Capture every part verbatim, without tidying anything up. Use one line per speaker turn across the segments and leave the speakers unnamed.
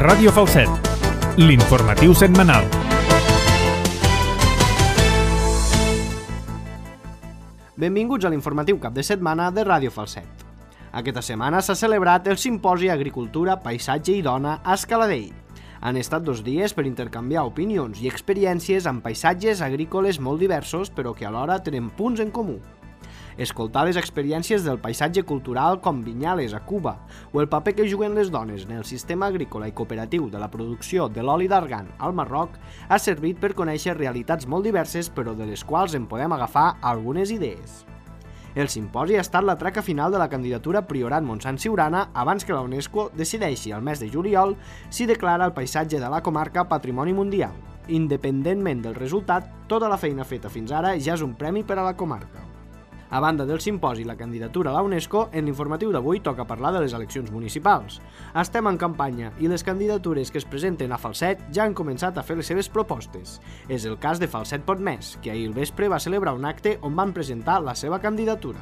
Ràdio Falset, l'informatiu setmanal.
Benvinguts a l'informatiu cap de setmana de Ràdio Falset. Aquesta setmana s'ha celebrat el Simposi Agricultura, Paisatge i Dona a Escaladei. Han estat dos dies per intercanviar opinions i experiències amb paisatges agrícoles molt diversos, però que alhora tenen punts en comú. Escoltar les experiències del paisatge cultural com Vinyales a Cuba o el paper que juguen les dones en el sistema agrícola i cooperatiu de la producció de l'oli d'argan al Marroc ha servit per conèixer realitats molt diverses, però de les quals en podem agafar algunes idees. El simposi ha estat la traca final de la candidatura Priorat Montsant Siurana abans que la UNESCO decideixi al mes de juliol si declara el paisatge de la comarca Patrimoni Mundial. Independentment del resultat, tota la feina feta fins ara ja és un premi per a la comarca. A banda del simposi i la candidatura a la UNESCO, en l'informatiu d'avui toca parlar de les eleccions municipals. Estem en campanya i les candidatures que es presenten a Falset ja han començat a fer les seves propostes. És el cas de Falset Pot Més, que ahir al vespre va celebrar un acte on van presentar la seva candidatura.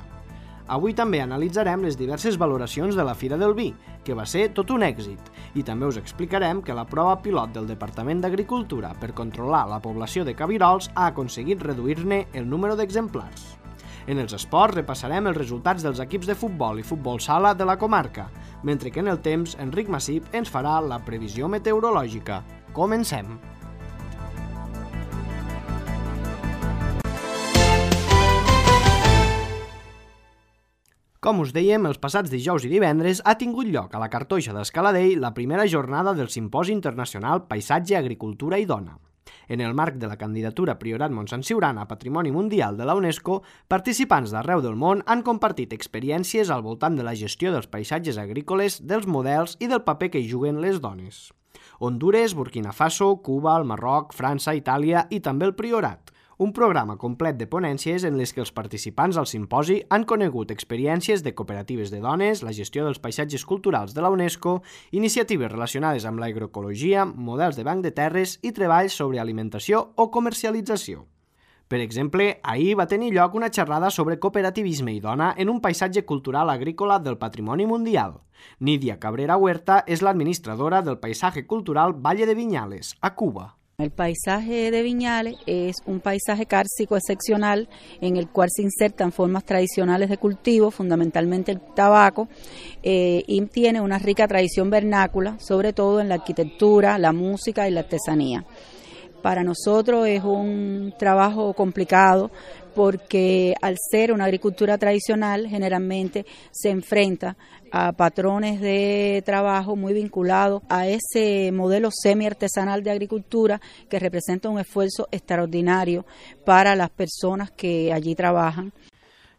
Avui també analitzarem les diverses valoracions de la Fira del Vi, que va ser tot un èxit, i també us explicarem que la prova pilot del Departament d'Agricultura per controlar la població de cabirols ha aconseguit reduir-ne el número d'exemplars. En els esports repassarem els resultats dels equips de futbol i futbol sala de la comarca, mentre que en el temps Enric Massip ens farà la previsió meteorològica. Comencem! Com us dèiem, els passats dijous i divendres ha tingut lloc a la Cartoixa d'Escaladei la primera jornada del Simposi Internacional Paisatge, Agricultura i Dona. En el marc de la candidatura Priorat Montsant Siurana a Patrimoni Mundial de la UNESCO, participants d'arreu del món han compartit experiències al voltant de la gestió dels paisatges agrícoles, dels models i del paper que hi juguen les dones. Hondures, Burkina Faso, Cuba, el Marroc, França, Itàlia i també el Priorat. Un programa complet de ponències en les que els participants al simposi han conegut experiències de cooperatives de dones, la gestió dels paisatges culturals de la UNESCO, iniciatives relacionades amb l'agroecologia, models de banc de terres i treballs sobre alimentació o comercialització. Per exemple, ahir va tenir lloc una xerrada sobre cooperativisme i dona en un paisatge cultural agrícola del Patrimoni Mundial. Nidia Cabrera Huerta és l'administradora del Paisaje Cultural Valle de Viñales, a Cuba.
El paisaje de Viñales es un paisaje cárcico excepcional en el cual se insertan formas tradicionales de cultivo, fundamentalmente el tabaco, eh, y tiene una rica tradición vernácula, sobre todo en la arquitectura, la música y la artesanía. Para nosotros es un trabajo complicado porque al ser una agricultura tradicional generalmente se enfrenta a patrones de trabajo muy vinculados a ese modelo semi-artesanal de agricultura que representa un esfuerzo extraordinario para las personas que allí trabajan.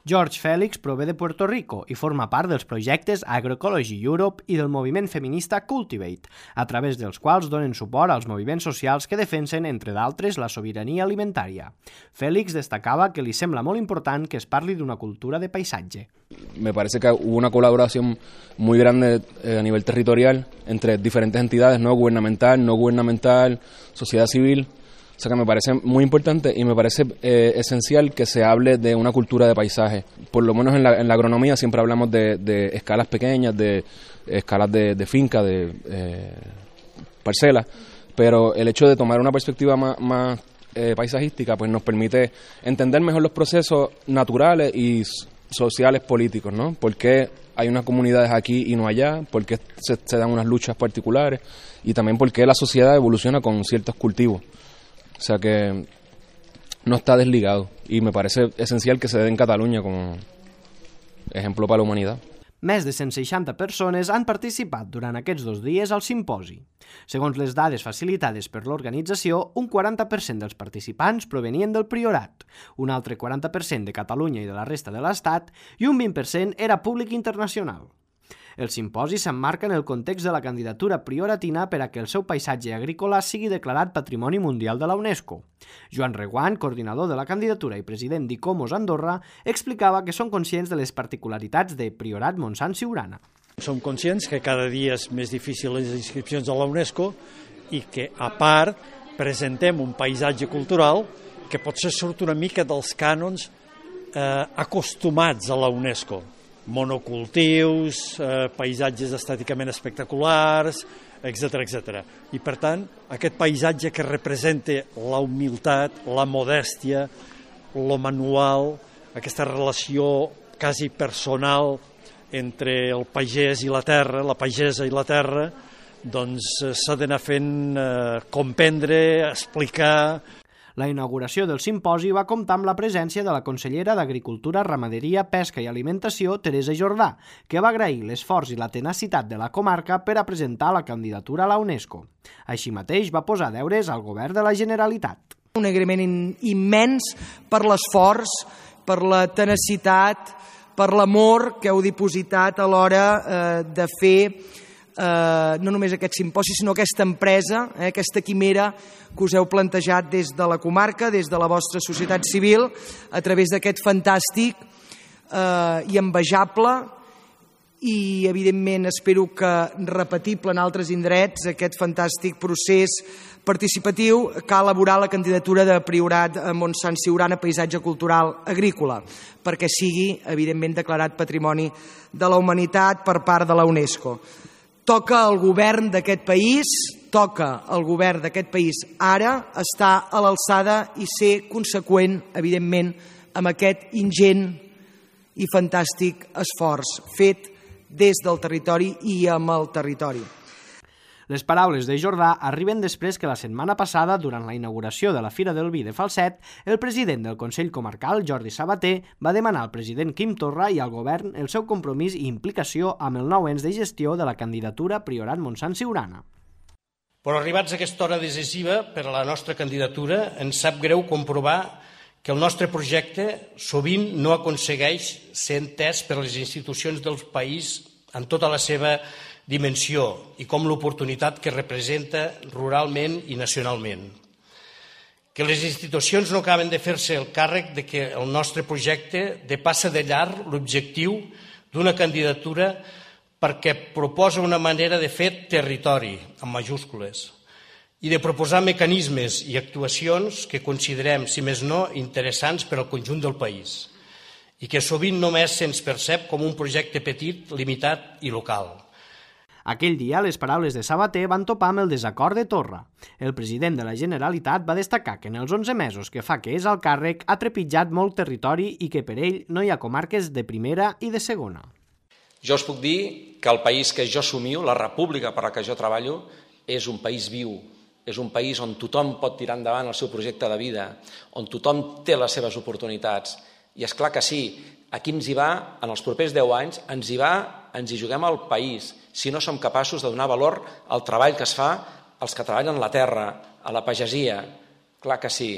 George Félix prové de Puerto Rico i forma part dels projectes Agroecology Europe i del moviment feminista Cultivate, a través dels quals donen suport als moviments socials que defensen, entre d'altres, la sobirania alimentària. Félix destacava que li sembla molt important que es parli d'una cultura de paisatge.
Me parece que hubo una colaboración muy grande eh, a nivel territorial entre diferentes entidades, no gubernamental, no gubernamental, sociedad civil. O sea que me parece muy importante y me parece eh, esencial que se hable de una cultura de paisaje. Por lo menos en la, en la agronomía siempre hablamos de, de escalas pequeñas, de escalas de, de finca, de eh, parcelas, pero el hecho de tomar una perspectiva más, más eh, paisajística pues nos permite entender mejor los procesos naturales y sociales políticos, ¿no? ¿Por qué hay unas comunidades aquí y no allá? ¿Por qué se, se dan unas luchas particulares? Y también por qué la sociedad evoluciona con ciertos cultivos. O sea que no está desligado y me parece esencial que se dé en Cataluña como ejemplo para la humanidad.
Més de cent seixanta persones han participat durant aquests dos dies al simposi. Segons les dades facilitades per l'organització, un quaranta per cent dels participants provenien del Priorat, un altre quaranta per cent de Catalunya i de la resta de l'Estat i un vint per cent era públic internacional. El simposi s'emmarca en el context de la candidatura prioratina per a que el seu paisatge agrícola sigui declarat Patrimoni Mundial de la UNESCO. Joan Reguant, coordinador de la candidatura i president d'Icomos Andorra, explicava que són conscients de les particularitats de Priorat Montsant Siurana.
Som conscients que cada dia és més difícil les inscripcions a la UNESCO i que, a part, presentem un paisatge cultural que potser surt una mica dels cànons eh, acostumats a la UNESCO. monocultius, eh, paisatges estèticament espectaculars, etcètera, etcètera. I per tant, aquest paisatge que representa la humilitat, la modèstia, lo manual, aquesta relació quasi personal entre el pagès i la terra, la pagesa i la terra, doncs s'ha d'anar fent eh, comprendre, explicar.
La inauguració del simposi va comptar amb la presència de la consellera d'Agricultura, Ramaderia, Pesca i Alimentació, Teresa Jordà, que va agrair l'esforç i la tenacitat de la comarca per a presentar la candidatura a la UNESCO. Així mateix va posar deures al govern de la Generalitat.
Un agraïment immens per l'esforç, per la tenacitat, per l'amor que heu dipositat a l'hora eh, de fer eh, no només aquest simposi, sinó aquesta empresa, eh, aquesta quimera que us heu plantejat des de la comarca, des de la vostra societat civil, a través d'aquest fantàstic eh, i envejable i, evidentment, espero que repetible en altres indrets, aquest fantàstic procés participatiu que ha elaborat la candidatura de Priorat a Montsant Siurana Paisatge Cultural Agrícola, perquè sigui, evidentment, declarat Patrimoni de la Humanitat per part de la UNESCO. Toca al govern d'aquest país, toca al govern d'aquest país ara estar a l'alçada i ser conseqüent, evidentment, amb aquest ingent i fantàstic esforç fet des del territori i amb el territori.
Les paraules de Jordà arriben després que la setmana passada, durant la inauguració de la Fira del Vi de Falset, el president del Consell Comarcal, Jordi Sabater, va demanar al president Quim Torra i al govern el seu compromís i implicació amb el nou ens de gestió de la candidatura Priorat Montsant Siurana.
Però arribats a aquesta hora decisiva per a la nostra candidatura, ens sap greu comprovar que el nostre projecte sovint no aconsegueix ser entès per les institucions del país en tota la seva dimensió i com l'oportunitat que representa ruralment i nacionalment. Que les institucions no acaben de fer-se el càrrec de que el nostre projecte depassa de llarg l'objectiu d'una candidatura perquè proposa una manera de fer territori, amb majúscules, i de proposar mecanismes i actuacions que considerem, si més no, interessants per al conjunt del país i que sovint només se'ns percep com un projecte petit, limitat i local.
Aquell dia, les paraules de Sabater van topar amb el desacord de Torra. El president de la Generalitat va destacar que en els onze mesos que fa que és al càrrec ha trepitjat molt territori i que per ell no hi ha comarques de primera i de segona.
Jo us puc dir que el país que jo somio, la república per la que jo treballo, és un país viu, és un país on tothom pot tirar endavant el seu projecte de vida, on tothom té les seves oportunitats. I és clar que sí, aquí ens hi va, en els propers deu anys, ens hi va, ens hi juguem al país, si no som capaços de donar valor al treball que es fa als que treballen la terra, a la pagesia. Clar que sí.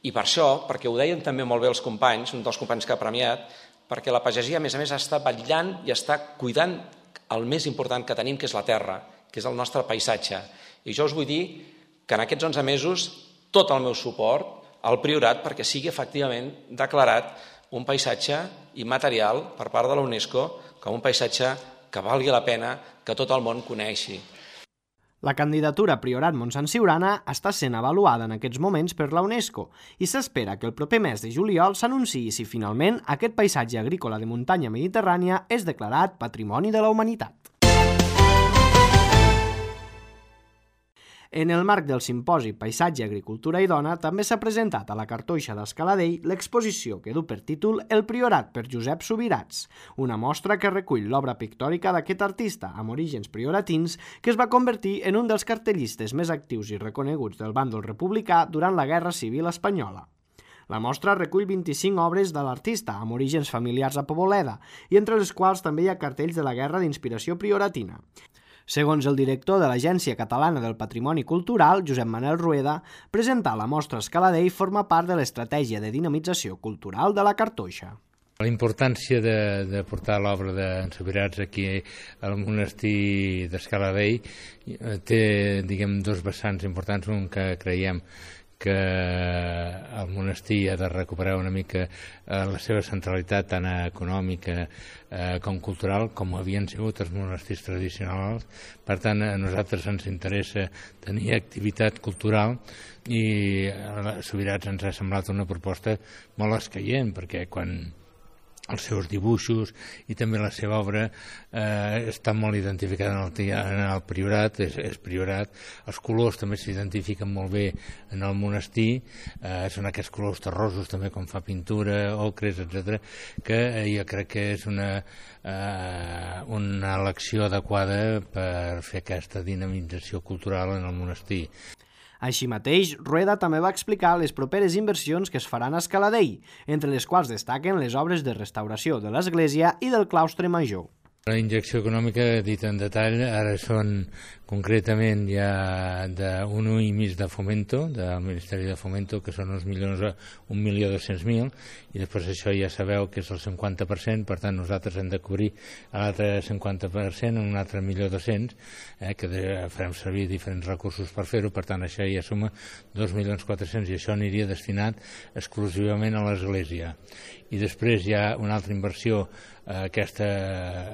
I per això, perquè ho deien també molt bé els companys, un dels companys que ha premiat, perquè la pagesia, a més a més, està vetllant i està cuidant el més important que tenim, que és la terra, que és el nostre paisatge. I jo us vull dir que en aquests onze mesos tot el meu suport al Priorat perquè sigui efectivament declarat un paisatge immaterial per part de la UNESCO com un paisatge que valgui la pena que tot el món coneixi.
La candidatura Priorat Montsant Siurana està sent avaluada en aquests moments per la UNESCO i s'espera que el proper mes de juliol s'anunciï si finalment aquest paisatge agrícola de muntanya mediterrània és declarat Patrimoni de la Humanitat. En el marc del simposi Paisatge, Agricultura i Dona també s'ha presentat a la Cartoixa d'Escaladell l'exposició que du per títol El Priorat per Josep Subirats, una mostra que recull l'obra pictòrica d'aquest artista amb orígens prioratins que es va convertir en un dels cartellistes més actius i reconeguts del bàndol republicà durant la Guerra Civil Espanyola. La mostra recull vint-i-cinc obres de l'artista amb orígens familiars a Poboleda i entre les quals també hi ha cartells de la guerra d'inspiració prioratina. Segons el director de l'Agència Catalana del Patrimoni Cultural, Josep Manel Rueda, presentar la mostra a Escaladell forma part de l'estratègia de dinamització cultural de la Cartoixa.
La importància de, de portar l'obra d'en Subirats aquí al monestir d'Escaladell té, diguem, dos vessants importants. Un que creiem que el monestir ha de recuperar una mica eh, la seva centralitat tant econòmica eh, com cultural, com havien sigut els monestirs tradicionals. Per tant, a nosaltres ens interessa tenir activitat cultural i a Subirats ens ha semblat una proposta molt escaient, perquè quan els seus dibuixos i també la seva obra eh, està molt identificada en el, en el priorat, és, és priorat. Els colors també s'identifiquen molt bé en el monestir, eh, són aquests colors terrosos també com fa pintura, ocres, etcètera, que eh, jo crec que és una, eh, una elecció adequada per fer aquesta dinamització cultural en el monestir.
Així mateix, Rueda també va explicar les properes inversions que es faran a Escaladei, entre les quals destaquen les obres de restauració de l'església i del claustre major.
La injecció econòmica, dit en detall, ara són concretament ja d'un i mig de Fomento, del Ministeri de Fomento, que són uns milions, un milió dos-cents mil, i després això ja sabeu que és el cinquanta per cent, per tant nosaltres hem de cobrir l'altre cinquanta per cent, un altre milió dos-cents, eh, que farem servir diferents recursos per fer-ho, per tant això ja suma dos milions quatre-cents i això aniria destinat exclusivament a l'Església. I després hi ha una altra inversió, eh, aquesta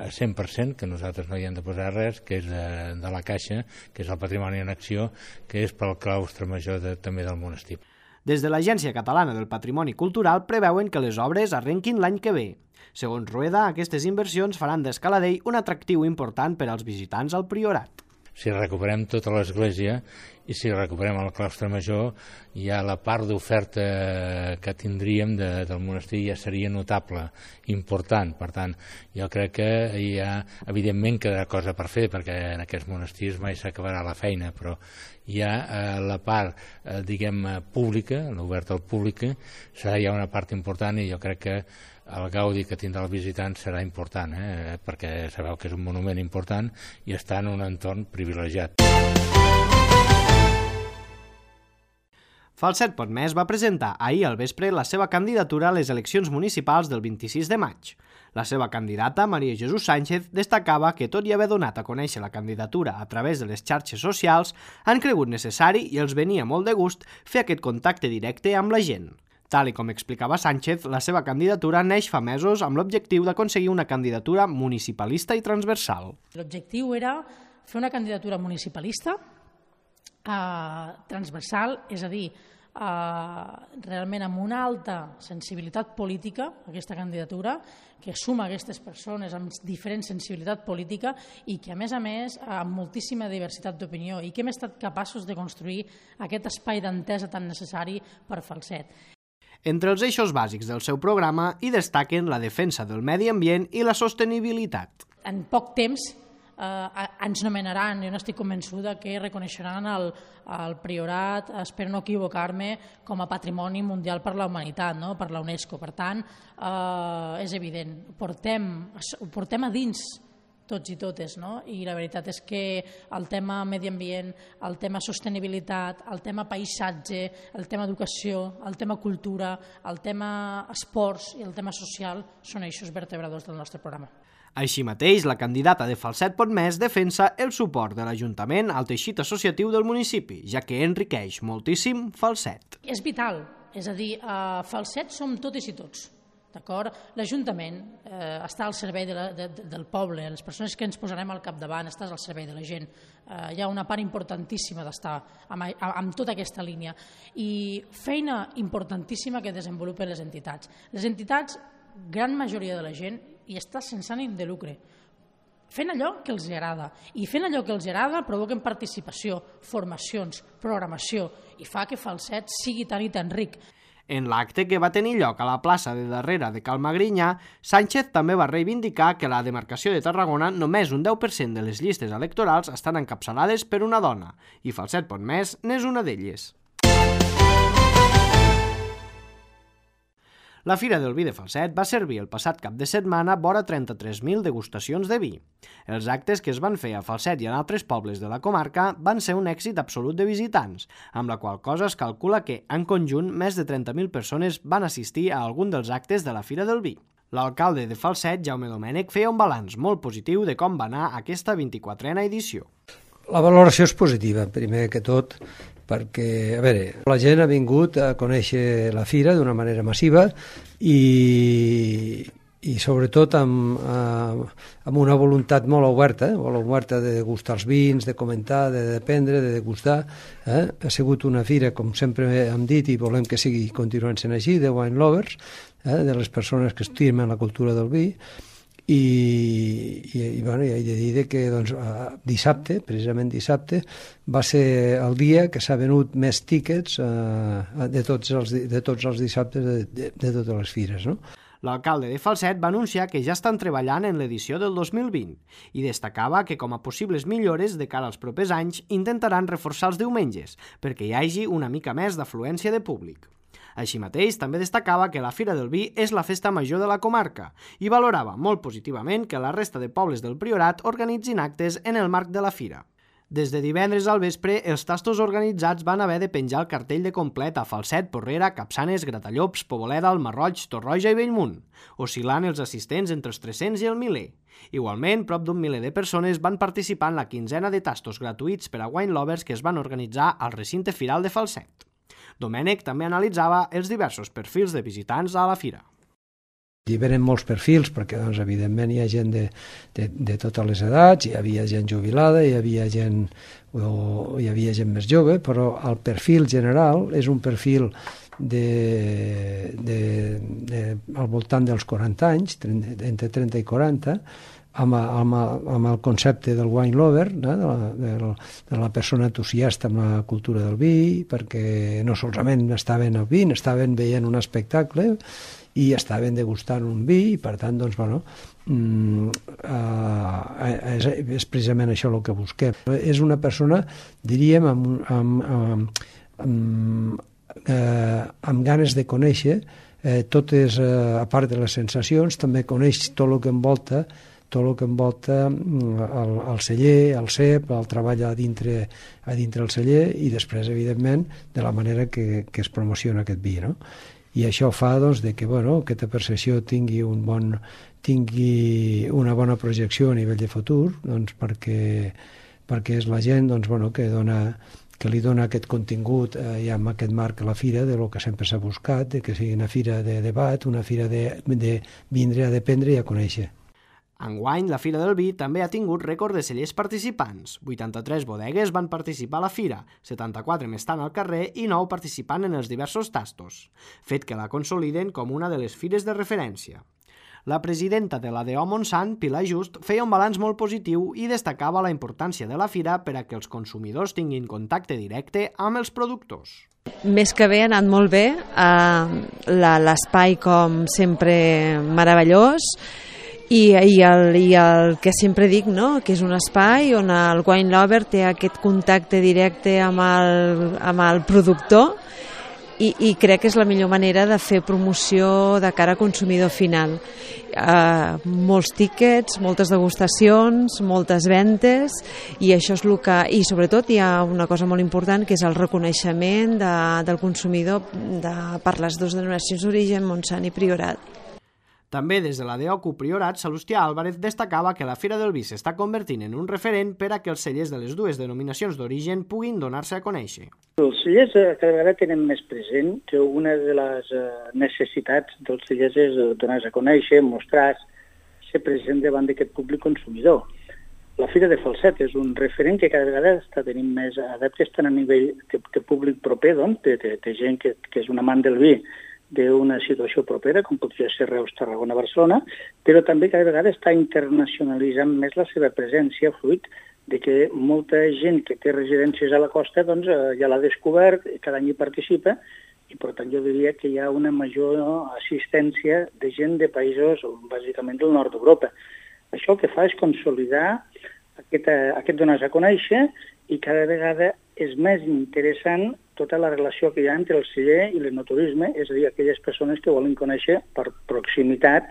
a cent per cent, que nosaltres no hi hem de posar res, que és de, de la Caixa, que és el patrimoni en acció, que és pel claustre major de, també del monestir.
Des de l'Agència Catalana del Patrimoni Cultural preveuen que les obres arrenquin l'any que ve. Segons Rueda, aquestes inversions faran d'Escaladei un atractiu important per als visitants al Priorat.
Si recuperem tota l'església i si recuperem el claustre major, ja la part d'oferta que tindríem de, del monestir ja seria notable, important. Per tant, jo crec que hi ha, evidentment, quedarà cosa per fer, perquè en aquests monestirs mai s'acabarà la feina, però hi ha eh, la part, eh, diguem, pública, l'oberta al públic, serà ja una part important i jo crec que el gaudi que tindrà el visitant serà important, eh? perquè sabeu que és un monument important i està en un entorn privilegiat.
Falset Potmès va presentar ahir al vespre la seva candidatura a les eleccions municipals del vint-i-sis de maig. La seva candidata, Maria Jesús Sánchez, destacava que, tot i haver donat a conèixer la candidatura a través de les xarxes socials, han cregut necessari i els venia molt de gust fer aquest contacte directe amb la gent. Tal i com explicava Sánchez, la seva candidatura neix fa mesos amb l'objectiu d'aconseguir una candidatura municipalista i transversal.
L'objectiu era fer una candidatura municipalista, eh, transversal, és a dir, eh, realment amb una alta sensibilitat política, aquesta candidatura, que suma aquestes persones amb diferent sensibilitat política i que, a més a més, amb moltíssima diversitat d'opinió i que hem estat capaços de construir aquest espai d'entesa tan necessari per Falset.
Entre els eixos bàsics del seu programa hi destaquen la defensa del medi ambient i la sostenibilitat.
En poc temps eh, ens nomenaran, jo n'estic convençuda que reconeixeran el, el Priorat, espero no equivocar-me, com a Patrimoni Mundial per la Humanitat, no? Per la UNESCO. Per tant, eh, és evident, portem, ho portem a dins tots i totes, no? I la veritat és que el tema medi ambient, el tema sostenibilitat, el tema paisatge, el tema educació, el tema cultura, el tema esports i el tema social són eixos vertebradors del nostre programa.
Així mateix, la candidata de Falset Potmès defensa el suport de l'Ajuntament al teixit associatiu del municipi, ja que enriqueix moltíssim Falset.
És vital, és a dir, a Falset som totes i tots. L'Ajuntament eh, està al servei de la, de, del poble, les persones que ens posarem al capdavant estàs al servei de la gent. Eh, hi ha una part importantíssima d'estar amb, amb tota aquesta línia i feina importantíssima que desenvolupen les entitats. Les entitats, gran majoria de la gent, hi està sense ànim de lucre, fent allò que els agrada. I fent allò que els agrada provoquen participació, formacions, programació i fa que Falset sigui tan i tan ric.
En l'acte que va tenir lloc a la plaça de darrere de Cal Magrinyà, Sánchez també va reivindicar que a la demarcació de Tarragona només un deu per cent de les llistes electorals estan encapçalades per una dona, i Falset Potmès n'és una d'elles. La Fira del Vi de Falset va servir el passat cap de setmana vora trenta-tres mil degustacions de vi. Els actes que es van fer a Falset i en altres pobles de la comarca van ser un èxit absolut de visitants, amb la qual cosa es calcula que, en conjunt, més de trenta mil persones van assistir a algun dels actes de la Fira del Vi. L'alcalde de Falset, Jaume Domènech, feia un balanç molt positiu de com va anar aquesta vint-i-quatrena edició.
La valoració és positiva, primer que tot, perquè, a veure, la gent ha vingut a conèixer la fira d'una manera massiva i, i sobretot amb, amb una voluntat molt oberta, eh? molt oberta de degustar els vins, de comentar, de dependre, de degustar. Eh? Ha sigut una fira, com sempre hem dit, i volem que sigui continuant sent així, de wine lovers, eh, de les persones que estimen la cultura del vi, i, i, i bueno, he de dir que doncs, dissabte, precisament dissabte, va ser el dia que s'ha venut més tíquets eh, de, tots els, de tots els dissabtes de, de, de totes les fires, no?
L'alcalde de Falset va anunciar que ja estan treballant en l'edició del dos mil vint i destacava que com a possibles millores de cara als propers anys intentaran reforçar els diumenges perquè hi hagi una mica més d'afluència de públic. Així mateix, també destacava que la Fira del Vi és la festa major de la comarca i valorava molt positivament que la resta de pobles del Priorat organitzin actes en el marc de la fira. Des de divendres al vespre, els tastos organitzats van haver de penjar el cartell de complet a Falset, Porrera, Capçanes, Gratallops, Poboleda, el Masroig, Torroja i Bellmunt, oscil·lant els assistents entre els tres-cents i el miler. Igualment, prop d'un miler de persones van participar en la quinzena de tastos gratuïts per a wine lovers que es van organitzar al recinte firal de Falset. Domènec també analitzava els diversos perfils de visitants a la fira.
Hi venen molts perfils, perquè doncs, evidentment hi ha gent de, de, de totes les edats, hi havia gent jubilada, hi havia gent, o, hi havia gent més jove, però el perfil general és un perfil de, de, de, al voltant dels quaranta anys, entre trenta i quaranta, amb, amb, amb el concepte del wine lover, no? de, la, de, de la persona entusiasta amb la cultura del vi, perquè no solament estaven al vi, estaven veient un espectacle, i estaven degustant un vi i per tant doncs, bueno, mm, eh, és, és precisament això el que busquem. És una persona, diríem, amb, amb, amb, amb, eh, amb ganes de conèixer eh, totes, eh, a part de les sensacions, també coneix tot el que envolta tot el que envolta el, el celler, el cep, el treball a dintre, a dintre el celler i després, evidentment, de la manera que, que es promociona aquest vi, no? I això fa doncs, de que bueno, aquesta percepció tingui, un bon, tingui una bona projecció a nivell de futur, doncs, perquè, perquè és la gent doncs, bueno, que, dona, que li dona aquest contingut eh, ja amb aquest marc a la fira de lo que sempre s'ha buscat, de que sigui una fira de debat, una fira de, de vindre a dependre i a conèixer.
Enguany, la Fira del Vi també ha tingut rècord de cellers participants. vuitanta-tres bodegues van participar a la fira, setanta-quatre més estan al carrer i nou participant en els diversos tastos, fet que la consoliden com una de les fires de referència. La presidenta de l'A D O Montsant, Pilar Just, feia un balanç molt positiu i destacava la importància de la fira per a que els consumidors tinguin contacte directe amb els productors.
Més que bé, ha anat molt bé, eh, l'espai com sempre meravellós, I, i, el, i el que sempre dic, no? Que és un espai on el wine lover té aquest contacte directe amb el, amb el productor i, i crec que és la millor manera de fer promoció de cara a consumidor final. Uh, molts tíquets, moltes degustacions, moltes ventes i això és el que... I sobretot hi ha una cosa molt important que és el reconeixement de, del consumidor de, per les dues denominacions d'origen, Montsant i Priorat.
També des de la D O C U Priorat, Salustià Álvarez destacava que la Fira del Vi s'està convertint en un referent per a que els cellers de les dues denominacions d'origen puguin donar-se a conèixer.
Els cellers cada vegada tenen més present que una de les necessitats dels cellers és donar-se a conèixer, mostrar, ser present davant d'aquest públic consumidor. La Fira de Falset és un referent que cada vegada està tenint més adeptes tant a nivell de, de públic proper, doncs, de, de, de gent que, que és un amant del vi, d'una situació propera, com podria ser Reus, Tarragona, Barcelona, però també cada vegada està internacionalitzant més la seva presència, fruit de que molta gent que té residències a la costa doncs, ja l'ha descobert, cada any hi participa, i per tant jo diria que hi ha una major assistència de gent de països, bàsicament del nord d'Europa. Això el que fa és consolidar aquest, aquest donar-se a conèixer i cada vegada és més interessant tota la relació que hi ha entre el celler i l'enoturisme, és a dir, aquelles persones que volen conèixer per proximitat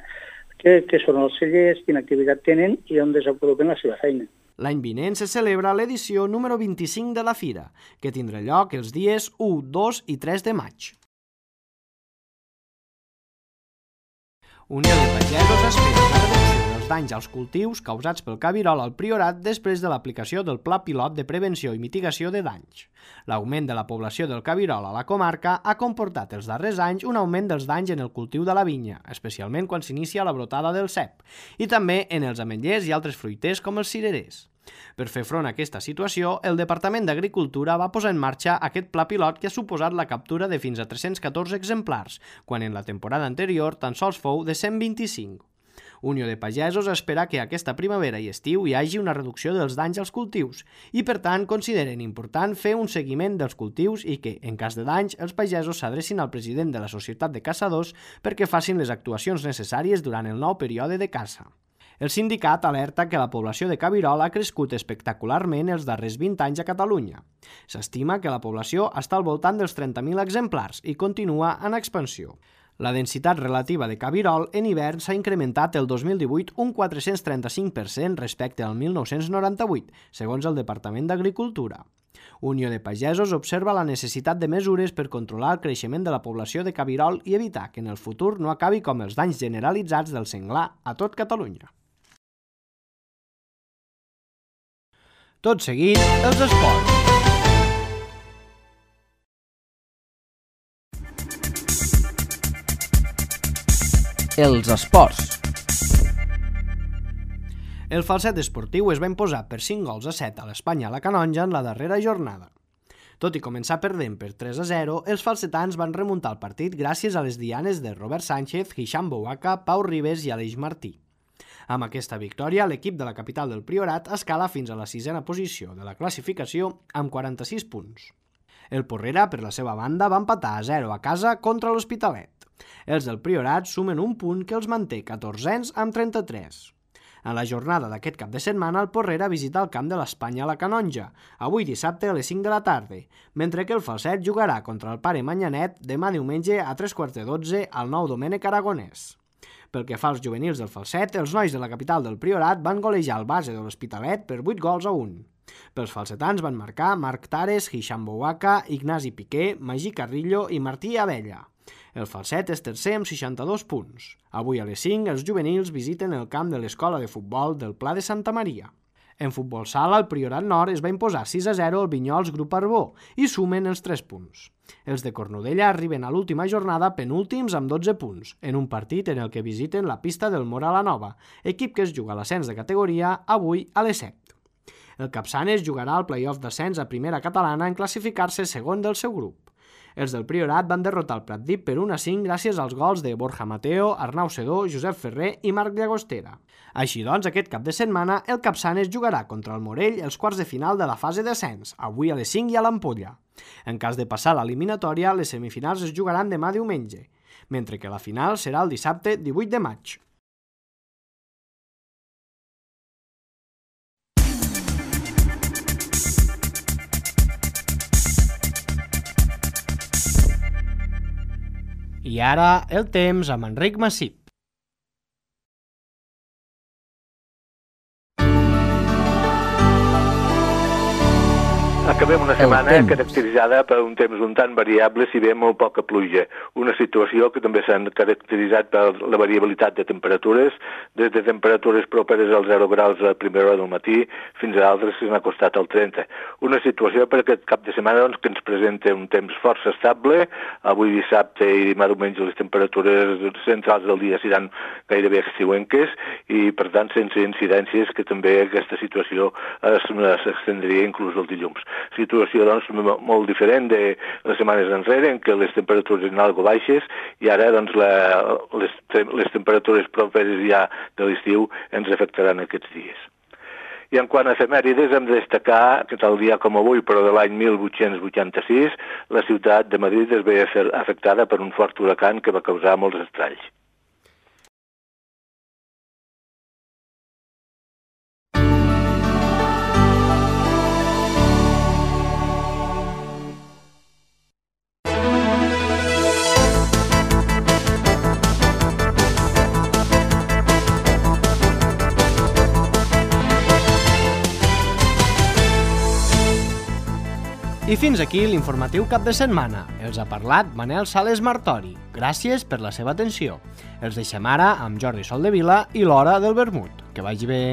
què, què són els cellers, quina activitat tenen i on desenvolupen la seva feina.
L'any vinent se celebra l'edició número vint-i-cinc de la Fira, que tindrà lloc els dies u, dos i tres de maig. Unió de Pagesos espera la reducció dels danys als cultius causats pel cabirol al Priorat després de l'aplicació del Pla Pilot de Prevenció i Mitigació de Danys. L'augment de la població del cabirol a la comarca ha comportat els darrers anys un augment dels danys en el cultiu de la vinya, especialment quan s'inicia la brotada del cep, i també en els ametllers i altres fruiters com els cirerers. Per fer front a aquesta situació, el Departament d'Agricultura va posar en marxa aquest pla pilot que ha suposat la captura de fins a tres-cents catorze exemplars, quan en la temporada anterior tan sols fou de cent vint-i-cinc. Unió de Pagesos espera que aquesta primavera i estiu hi hagi una reducció dels danys als cultius i, per tant, consideren important fer un seguiment dels cultius i que, en cas de danys, els pagesos s'adrecin al president de la Societat de Caçadors perquè facin les actuacions necessàries durant el nou període de caça. El sindicat alerta que la població de cabirol ha crescut espectacularment els darrers vint anys a Catalunya. S'estima que la població està al voltant dels trenta mil exemplars i continua en expansió. La densitat relativa de cabirol en hivern s'ha incrementat el dos mil divuit un quatre-cents trenta-cinc per cent respecte al mil nou-cents noranta-vuit, segons el Departament d'Agricultura. Unió de Pagesos observa la necessitat de mesures per controlar el creixement de la població de cabirol i evitar que en el futur no acabi com els danys generalitzats del senglar a tot Catalunya. Tot seguit, els esports. Els esports. El falset esportiu es va imposar per cinc gols a set a l'Espanya a la Canonja en la darrera jornada. Tot i començar perdent per tres a zero, els falsetans van remuntar el partit gràcies a les dianes de Robert Sánchez, Hisham Bouaka, Pau Ribes i Aleix Martí. Amb aquesta victòria, l'equip de la capital del Priorat escala fins a la sisena posició de la classificació amb quaranta-sis punts. El Porrera, per la seva banda, va empatar a zero a casa contra l'Hospitalet. Els del Priorat sumen un punt que els manté catorzens amb trenta-tres. En la jornada d'aquest cap de setmana, el Porrera visita el camp de l'Espanya a la Canonja, avui dissabte a les cinc de la tarda, mentre que el Falset jugarà contra el Pare Manyanet demà diumenge a tres quarts de dotze al Nou Domènec Aragonès. Pel que fa als juvenils del Falset, els nois de la capital del Priorat van golejar el base de l'Hospitalet per vuit gols a un. Pels falsetans van marcar Marc Tares, Hisham Bouaka, Ignasi Piqué, Magí Carrillo i Martí Abella. El Falset és tercer amb seixanta-dos punts. Avui a les cinc els juvenils visiten el camp de l'escola de futbol del Pla de Santa Maria. En futbol sala, el Priorat Nord es va imposar sis a zero al Vinyols Grup Arbó i sumen els tres punts. Els de Cornudella arriben a l'última jornada penúltims amb dotze punts, en un partit en el que visiten la pista del Mora la Nova, equip que es juga a l'ascens de categoria avui a les set. El Capçanes jugarà al play-off d'ascens a primera catalana en classificar-se segon del seu grup. Els del Priorat van derrotar el Pratdip per un a cinc gràcies als gols de Borja Mateo, Arnau Sedó, Josep Ferrer i Marc Llagostera. Així doncs, aquest cap de setmana, el Capçanes jugarà contra el Morell els quarts de final de la fase d'ascens, avui a les cinc i a l'Ampolla. En cas de passar l'eliminatòria, les semifinals es jugaran demà diumenge, mentre que la final serà el dissabte divuit de maig. I ara, el temps amb Enric Massip.
Acabem una setmana caracteritzada per un temps un tant variable, si bé molt poca pluja. Una situació que també s'ha caracteritzat per la variabilitat de temperatures, des de temperatures properes als zero graus a primera hora del matí fins a altres que s'han acostat al trenta. Una situació per aquest cap de setmana doncs, que ens presenta un temps força estable. Avui dissabte i demà diumenge les temperatures centrals del dia seran gairebé estiuenques i, per tant, sense incidències que també aquesta situació s'extendria inclús el dilluns. Situació doncs, molt diferent de les setmanes enrere, en què les temperatures eren algo baixes i ara doncs, la, les, les temperatures properes ja de l'estiu ens afectaran aquests dies. I en quant a efemèrides, hem de destacar que tal dia com avui, però de l'any mil vuit-cents vuitanta-sis, la ciutat de Madrid es veia afectada per un fort huracan que va causar molts estralls.
I fins aquí l'informatiu cap de setmana. Els ha parlat Manel Sales Martori. Gràcies per la seva atenció. Els deixem ara amb Jordi Soldevila i l'Hora del Vermut. Que vagi bé.